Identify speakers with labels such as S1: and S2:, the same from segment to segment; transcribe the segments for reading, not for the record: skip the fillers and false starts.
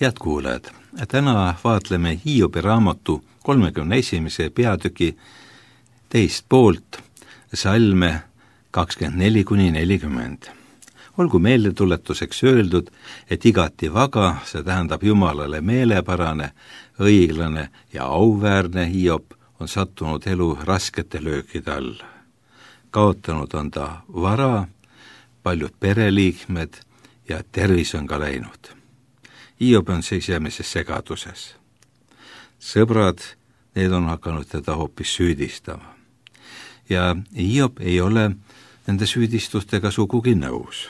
S1: Head kuulajad, täna vaatleme Hiobi raamatu 31. peatüki teist poolt, salme 24-40. Olgu meeldetuletuseks öeldud, et igati vaga, see tähendab Jumalale meelepärane, õiglane ja auväärne Hiob on sattunud elu raskete löökide all. Kaotanud on ta vara, paljud pereliikmed ja tervis on ka läinud. Hiob on sisemises segaduses. Sõbrad, need on hakanud teda hoopis süüdistama. Ja Hiob ei ole nende süüdistustega sugugi nõus.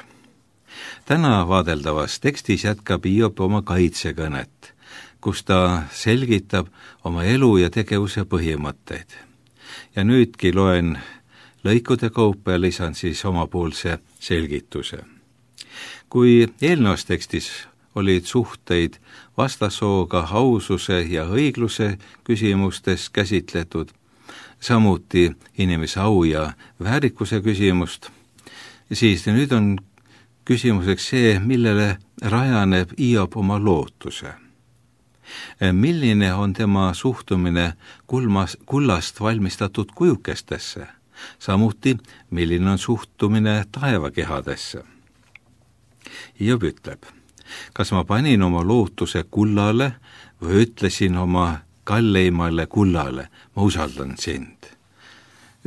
S1: Täna vaadeldavas tekstis jätkab Hiob oma kaitsekõnet, kus ta selgitab oma elu ja tegevuse põhimõtteid. Ja nüüdki loen lõikude kaupa ja lisan siis omapoolse selgituse. Kui eelnevas tekstis olid suhteid vastassooga aususe ja õigluse küsimustes käsitletud, samuti inimese au ja väärikuse küsimust, siis nüüd on küsimuseks see, millele rajaneb Hiob oma lootuse. Milline on tema suhtumine kullast valmistatud kujukestesse, samuti milline on suhtumine taevakehadesse. Hiob ütleb, kas ma panin oma lootuse kullale või ütlesin oma kalleimale kullale, ma usaldan sind.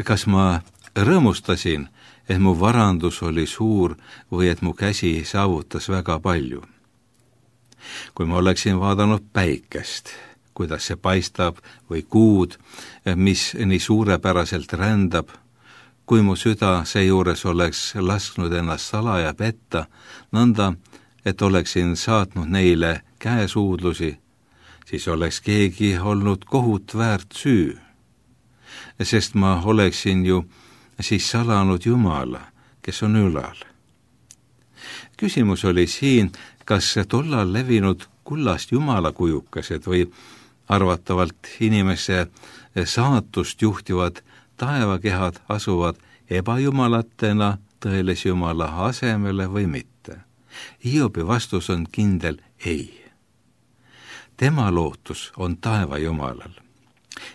S1: Kas ma rõõmustasin, et mu varandus oli suur või et mu käsi saavutas väga palju? Kui ma oleksin vaadanud päikest, kuidas see paistab, või kuud, mis nii suurepäraselt rändab, kui mu süda seejuures oleks lasknud ennast salaja petta, nõnda, et oleksin saatnud neile käesuudlusi, siis oleks keegi olnud kohut väärt süü. Sest ma oleksin ju siis salanud Jumala, kes on ülal. Küsimus oli siin, kas tollal levinud kullast Jumala kujukesed või arvatavalt inimese saatust juhtivad taevakehad asuvad ebajumalatena tõelise Jumala asemele või mitte. Hiobi vastus on kindel ei. Tema lootus on taeva Jumalal.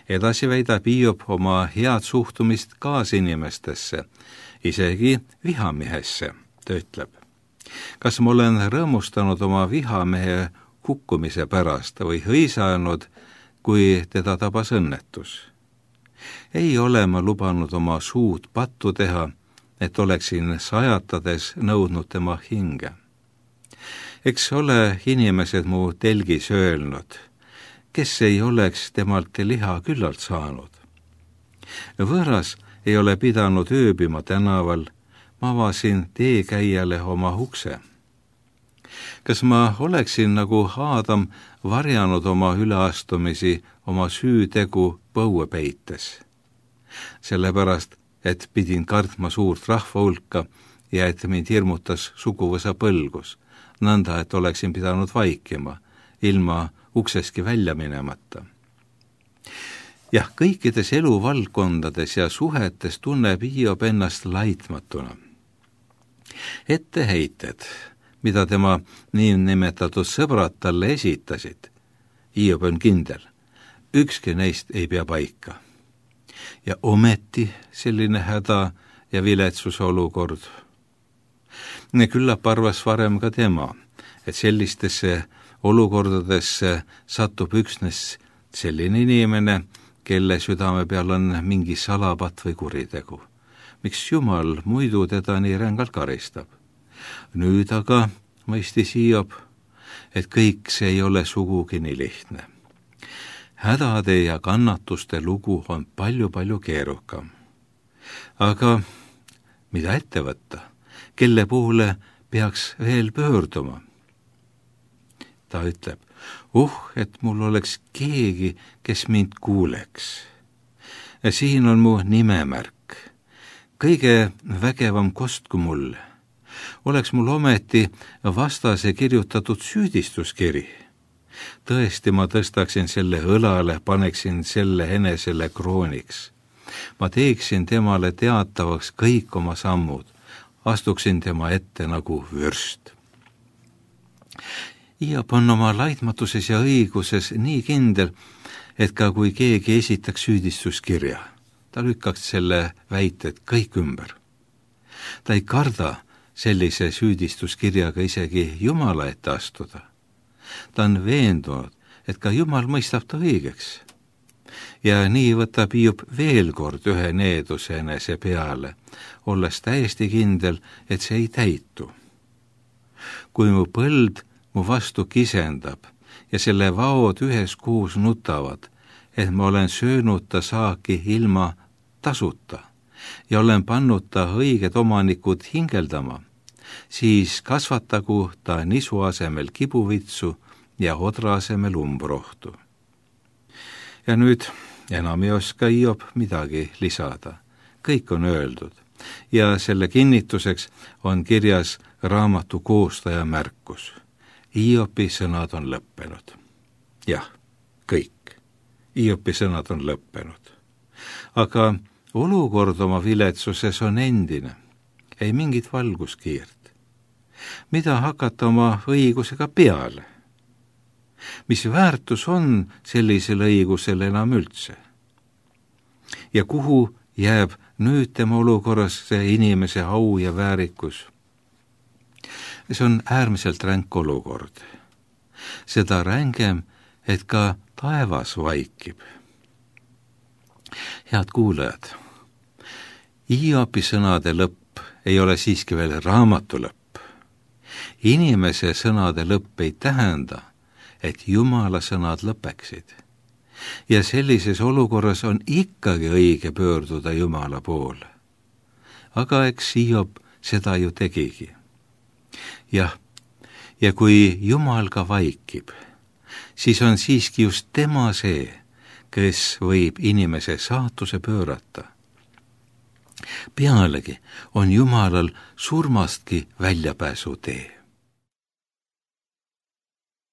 S1: Edasi väidab Hiob oma head suhtumist kaasinimestesse, isegi vihamehesse, ta ütleb. Kas ma olen rõõmustanud oma vihamehe hukkumise pärast või hõisanud, kui teda tabas õnnetus? Ei ole ma lubanud oma suud pattu teha, et oleksin sajatades nõudnud tema hinge. Eks ole inimesed mu telgis öelnud, kes ei oleks temalt liha küllalt saanud. Võõras ei ole pidanud ööbima tänaval, ma avasin teekäijale oma ukse. Kas ma oleksin nagu Aadam varjanud oma üleastumisi oma süütegu põue peites? Sellepärast, et pidin kartma suurt rahva hulka ja et mind hirmutas suguvõsa põlgus, nõnda, et oleksin pidanud vaikima, ilma ukseski välja minemata. Jah, kõikides eluvaldkondades ja suhetes tunneb Hiob ennast laitmatuna. Etteheited, mida tema niinimetatud sõbrad talle esitasid, Hiob on kindel, ükski neist ei pea paika. Ja ometi selline häda ja viletsuse olukord. Küllap arvas varem ka tema, et sellistesse olukordadesse satub üksnes selline inimene, kelle südame peal on mingi salapatt või kuritegu. Miks Jumal muidu teda nii rängalt karistab? Nüüd aga mõistis Hiob, et kõik see ei ole sugugi nii lihtne. Hädade ja kannatuste lugu on palju-palju keerukam. Aga mida ette võtta? Kelle poole peaks veel pöörduma? Ta ütleb, et mul oleks keegi, kes mind kuuleks. Siin on mu nimemärk. Kõige vägevam kostku mulle. Oleks mul ometi vastase kirjutatud süüdistuskiri. Tõesti, ma tõstaksin selle õlale, paneksin selle enesele krooniks. Ma teeksin temale teatavaks kõik oma sammud, astuksin tema ette nagu vürst. Hiob on oma laitmatuses ja õiguses nii kindel, et ka kui keegi esitaks süüdistuskirja, ta lükkaks selle väited kõik ümber. Ta ei karda sellise süüdistuskirjaga isegi Jumala ette astuda. Ta on veendunud, et ka Jumal mõistab ta õigeks. Ja nii võtab Hiob veel kord ühe needuse enese peale, olles täiesti kindel, et see ei täitu. Kui mu põld mu vastu kisendab ja selle vaod üheskoos nutavad, et ma olen söönud ta saaki ilma tasuta ja olen pannud ta õiged omanikud hingeldama, siis kasvatagu ta nisu asemel kibuvitsu ja odra asemel umbrohtu. Ja nüüd enam ei oska Hiob midagi lisada. Kõik on öeldud ja selle kinnituseks on kirjas raamatu koostaja märkus. Hiobi sõnad on lõppenud. Jah, kõik. Hiobi sõnad on lõppenud. Aga olukord oma viletsuses on endine. Ei mingit valguskiirt. Mida hakata oma õigusega peale? Mis väärtus on sellisel õigusel enam üldse? Ja kuhu jääb nüüd tema olukorras see inimese au ja väärikus? See on äärmiselt ränk olukord. Seda rängem, et ka taevas vaikib. Head kuulajad, Hiobi sõnade lõpp ei ole siiski veel raamatu lõpp. Inimese sõnade lõpp ei tähenda, et Jumala sõnad lõpeksid. Ja sellises olukorras on ikkagi õige pöörduda Jumala poole. Aga eks Hiob seda ju tegigi. Jah, ja kui Jumal ka vaikib, siis on siiski just tema see, kes võib inimese saatuse pöörata. Pealegi on Jumalal surmastki väljapääsu tee.